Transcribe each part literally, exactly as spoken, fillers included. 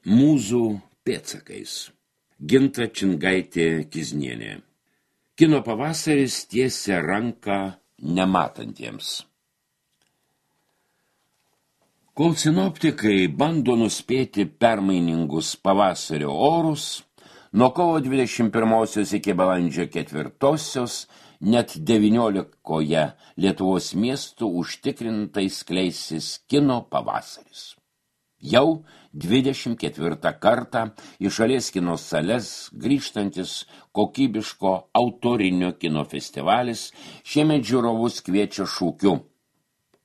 Mūzų pėdsakais. Ginta Čingaitė-Kiznienė. Kino pavasaris tiesia ranką nematantiems. Kol sinoptikai bando nuspėti permainingus pavasario orus, nuo kovo dvidešimt pirmosios iki balandžio ketvirtosios net devyniolikoje Lietuvos miestų užtikrintai skleisis kino pavasaris. Jau dvidešimt ketvirtą kartą į šalies kino sales grįžtantis kokybiško autorinio kino festivalis šiemet žiūrovus kviečia šūkiu: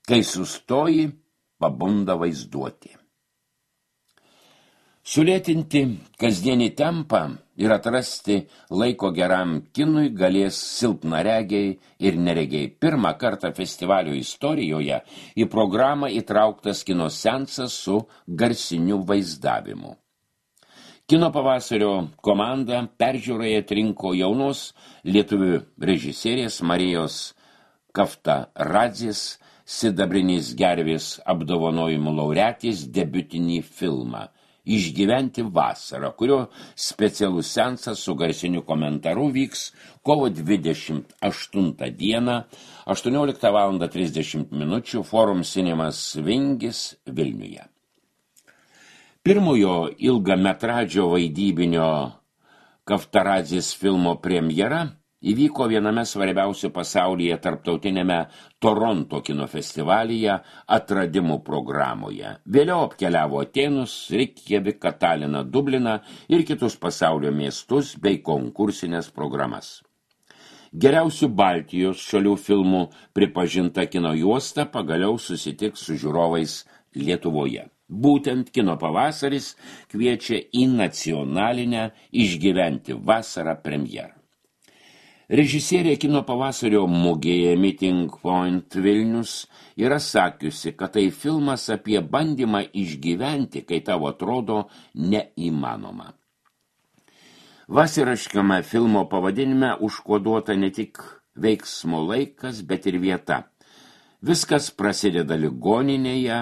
kai sustoji, pabunda vaizduotė. Sulėtinti kasdienį tempą ir atrasti laiko geram kinui galės silpnaregiai ir neregiai. Pirmą kartą festivalio istorijoje į programą įtrauktas kino seansas su garsiniu vaizdavimu. Kino pavasario komanda peržiūroje atrinko jaunos lietuvių režisierės Marijos Kaftaradzės sidabrinės gervės apdovanojimų laureatės debiutinį filmą Išgyventi vasarą, kurio specialus seansas su garsiniu komentaru vyks kovo dvidešimt aštuntą dieną, aštuonioliktą valandą trisdešimt minučių Forum Cinemas Vingis Vilniuje. Pirmojo ilgametradžio vaidybinio Kaftaradzės filmo premjera įvyko viename svarbiausių pasaulyje tarptautinėme Toronto kino festivalyje atradimų programoje. Vėliau apkeliavo Atėnus, Reikjaviką, Taliną, Dubliną ir kitus pasaulio miestus bei konkursinės programas. Geriausių Baltijos šalių filmų pripažinta kino juosta pagaliau susitiks su žiūrovais Lietuvoje. Būtent kino pavasaris kviečia į nacionalinę Išgyventi vasarą premjerą. Režisierė kino pavasario mugėje Meeting Point Vilnius yra sakiusi, kad tai filmas apie bandymą išgyventi, kai tau atrodo neįmanoma. Vasariškame filmo pavadinime užkoduota ne tik veiksmo laikas, bet ir vieta. Viskas prasideda ligoninėje,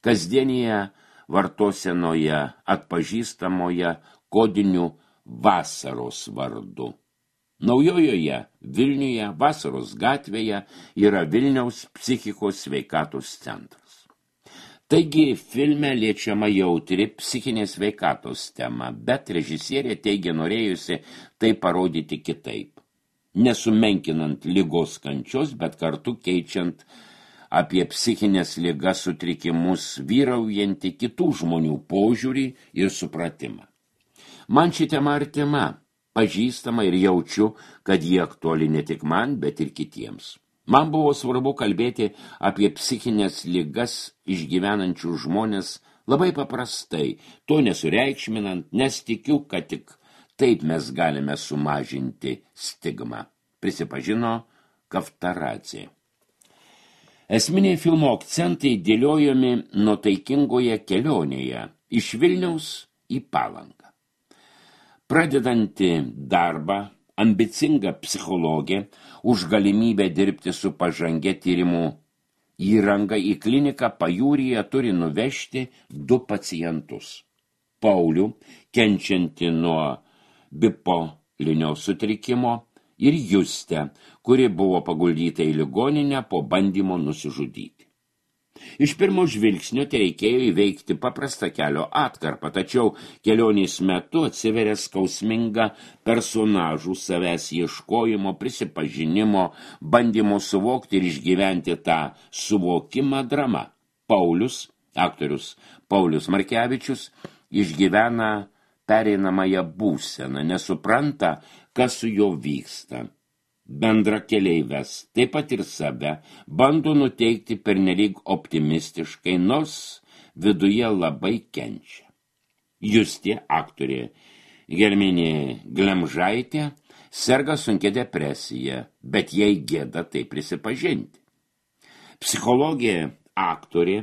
kasdienėje vartosenoje atpažįstamoje kodiniu vasaros vardu. Naujojoje Vilniuje, Vasaros gatvėje, yra Vilniaus psichikos sveikatos centras. Taigi filme liečiama jautri psichinės sveikatos tema, bet režisierė teigia norėjusi tai parodyti kitaip. Nesumenkinant ligos kančios, bet kartu keičiant apie psichinės ligas sutrikimus vyraujantį kitų žmonių požiūrį ir supratimą. Man ši tema artima, pažįstama ir jaučiu, kad jie aktuali ne tik man, bet ir kitiems. Man buvo svarbu kalbėti apie psichinės ligas išgyvenančių žmonės labai paprastai, to nesureikšminant, nes tikiu, kad tik taip mes galime sumažinti stigmą, prisipažino Kaftaradzė. Esminiai filmo akcentai dėliojami nuotaikingoje kelionėje iš Vilniaus į Palangą. Pradedanti darbą, ambicinga psichologė už galimybę dirbti su pažangia tyrimų įranga į kliniką pajūryje turi nuvežti du pacientus. Paulių, kenčiantį nuo bipolinio sutrikimo, ir Justę, kuri buvo paguldyta į ligoninę po bandymo nusižudyti. Iš pirmo žvilgsnio tereikėjo įveikti paprastą kelio atkarpą, tačiau kelionės metu atsiveria skausminga personažų savęs ieškojimo, prisipažinimo, bandymo suvokti ir išgyventi tą suvokimą drama. Paulius, aktorius Paulius Markevičius, išgyvena pereinamąją būseną, nesupranta, kas su juo vyksta. Bendra keleives, taip pat ir save, bando nuteikti pernelyg optimistiškai, nors viduje labai kenčia. Justė, aktorė Gelminė Glemžaitė, serga sunkia depresija, bet jai gėda tai prisipažinti. Psichologė, aktorė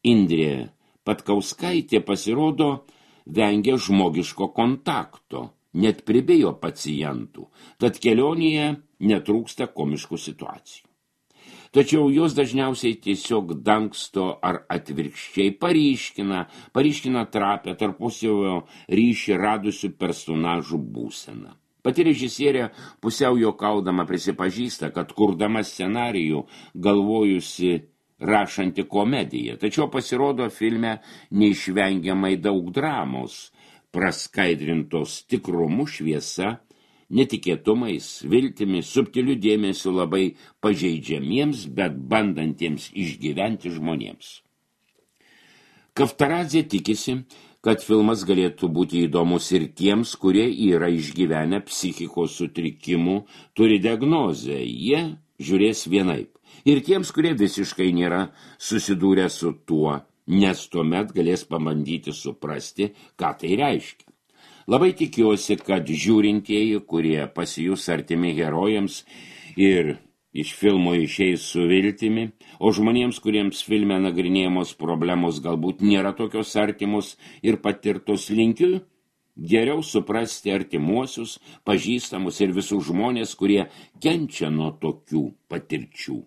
Indrė Patkauskaitė pasirodo vengia žmogiško kontakto, net pribijo pacientų, tad kelionėje netrūksta komiškų situacijų. Tačiau jos dažniausiai tiesiog dangsto ar atvirkščiai paryškina, paryškina trapę tarpusavio ryšį radusių personažų būseną. Pati režisierė pusiau juokaudama prisipažįsta, kad kurdama scenarijų galvojusi rašanti komediją, tačiau pasirodo filme neišvengiamai daug dramos, praskaidrintos tikrumu, šviesa, netikėtumais, viltimi, subtiliu dėmesiu labai pažeidžiamiems, bet bandantiems išgyventi žmonėms. Kaftaradzė tikisi, kad filmas galėtų būti įdomus ir tiems, kurie yra išgyvenę psichikos sutrikimų, turi diagnozę, jie žiūrės vienaip. Ir tiems, kurie visiškai nėra susidūrę su tuo, nes tuomet galės pabandyti suprasti, ką tai reiškia. Labai tikiuosi, kad žiūrintieji, kurie pasijus artimi herojams ir iš filmo išeis su viltimi, o žmonėms, kuriems filme nagrinėjamos problemos galbūt nėra tokios artimos ir patirtos, linkiu geriau suprasti artimuosius, pažįstamus ir visus žmonės, kurie kenčia nuo tokių patirčių.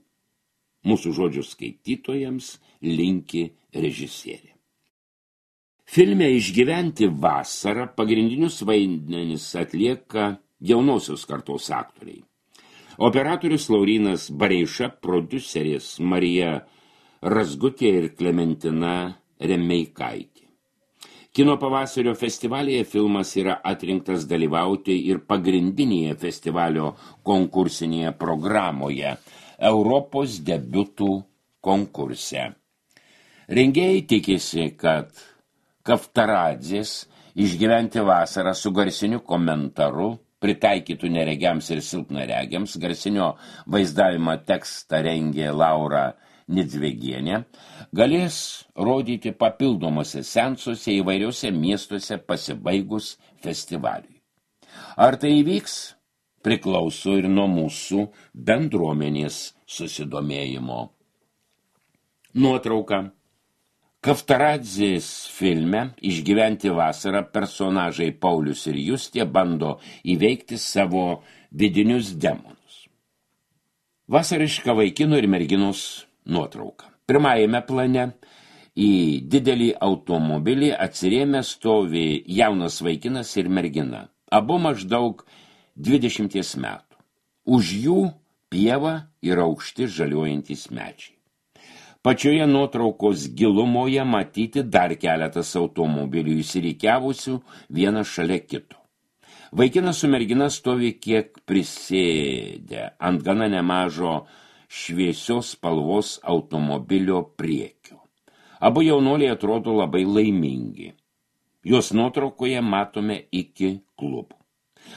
Mūsų žodžių skaitytojams linki režisierė. Filme Išgyventi vasarą pagrindinius vaidmenis atlieka jaunosios kartos aktoriai. Operatorius Laurynas Bareiša, prodiuserės Marija Razgutė ir Klementina Remeikaitė. Kino pavasario festivalyje filmas yra atrinktas dalyvauti ir pagrindinėje festivalio konkursinėje programoje Europos debiutų konkurse. Rengėjai tikisi, kad Kaftaradzės Išgyventi vasarą su garsiniu komentaru, pritaikytų neregiams ir silpnaregiams, garsinio vaizdavimo tekstą rengė Laura Nidzvegienė, galės rodyti papildomose seansuose įvairiuose miestuose pasibaigus festivaliui. Ar tai įvyks, priklauso ir nuo mūsų bendruomenės susidomėjimo. Nuotrauka. Kaftaradzės filme Išgyventi vasarą personažai Paulius ir Justė bando įveikti savo vidinius demonus. Vasariška vaikino ir merginos nuotrauka. Pirmajame plane į didelį automobilį atsirėmę stovi jaunas vaikinas ir mergina, abu maždaug dvidešimties metų. Už jų pieva ir aukšti žaliuojantys medžiai. Pačioje nuotraukos gilumoje matyti dar keletas automobilių įsirikiavusių vienas šalia kito. Vaikinas su mergina stovi kiek prisėdę ant gana nemažo šviesios spalvos automobilio priekio. Abu jaunuoliai atrodo labai laimingi. Jos nuotraukoje matome iki klubų.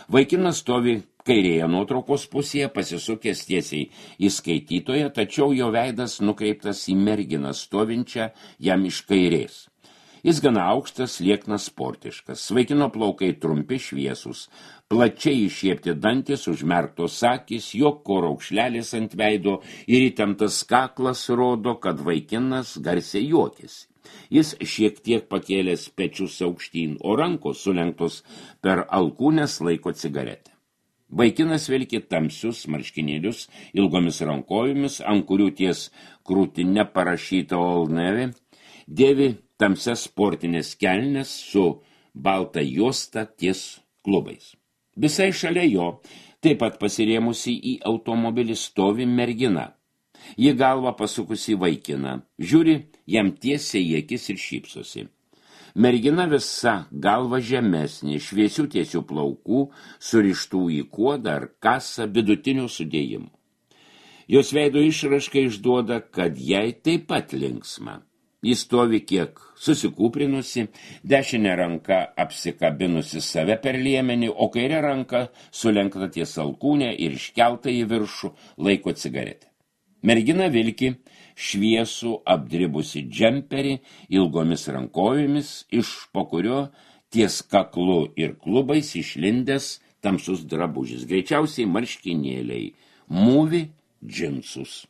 Vaikinas stovi kairėje nuotraukos pusėje, pasisukęs tiesiai į skaitytoją, tačiau jo veidas nukreiptas į merginą stovinčią jam iš kairės. Jis gana aukštas, lieknas, sportiškas. Vaikino plaukai trumpi, šviesus, plačiai iššiepti dantis, užmerktos akys, juoko raukšlelis ant veido ir įtemptas kaklas rodo, kad vaikinas garsiai juokiasi. Jis šiek tiek pakėlęs pečius aukštyn, o rankos sulenktos per alkūnes laiko cigaretę. Vaikinas vilki tamsius marškinėlius ilgomis rankojomis, ant kurių ties krūtine parašyta Old Navy, dėvi tamsias sportinės kelnes su balta juosta ties klubais. Visai šalia jo, taip pat pasirėmusi į automobilį, stovi mergina. Ji galva pasukusi vaikiną, žiūri jam tiesiai į akis ir šypsosi. Mergina visa galva žemesnė, šviesių tiesių plaukų, surištų į kuodą ar kasą vidutinių sudėjimų. Jos veido išraiška išduoda, kad jai taip pat linksma. Jis stovi kiek susikūprinusi, dešinė ranka apsikabinusi save per liemenį, o kairė ranka sulenkta ties alkūnę ir iškelta į viršų laiko cigaretę. Mergina vilki šviesų apdribusi džemperį ilgomis rankojomis, iš po kurio ties kaklu ir klubais išlindęs tamsus drabužis, greičiausiai marškinėliai, mūvi džinsus.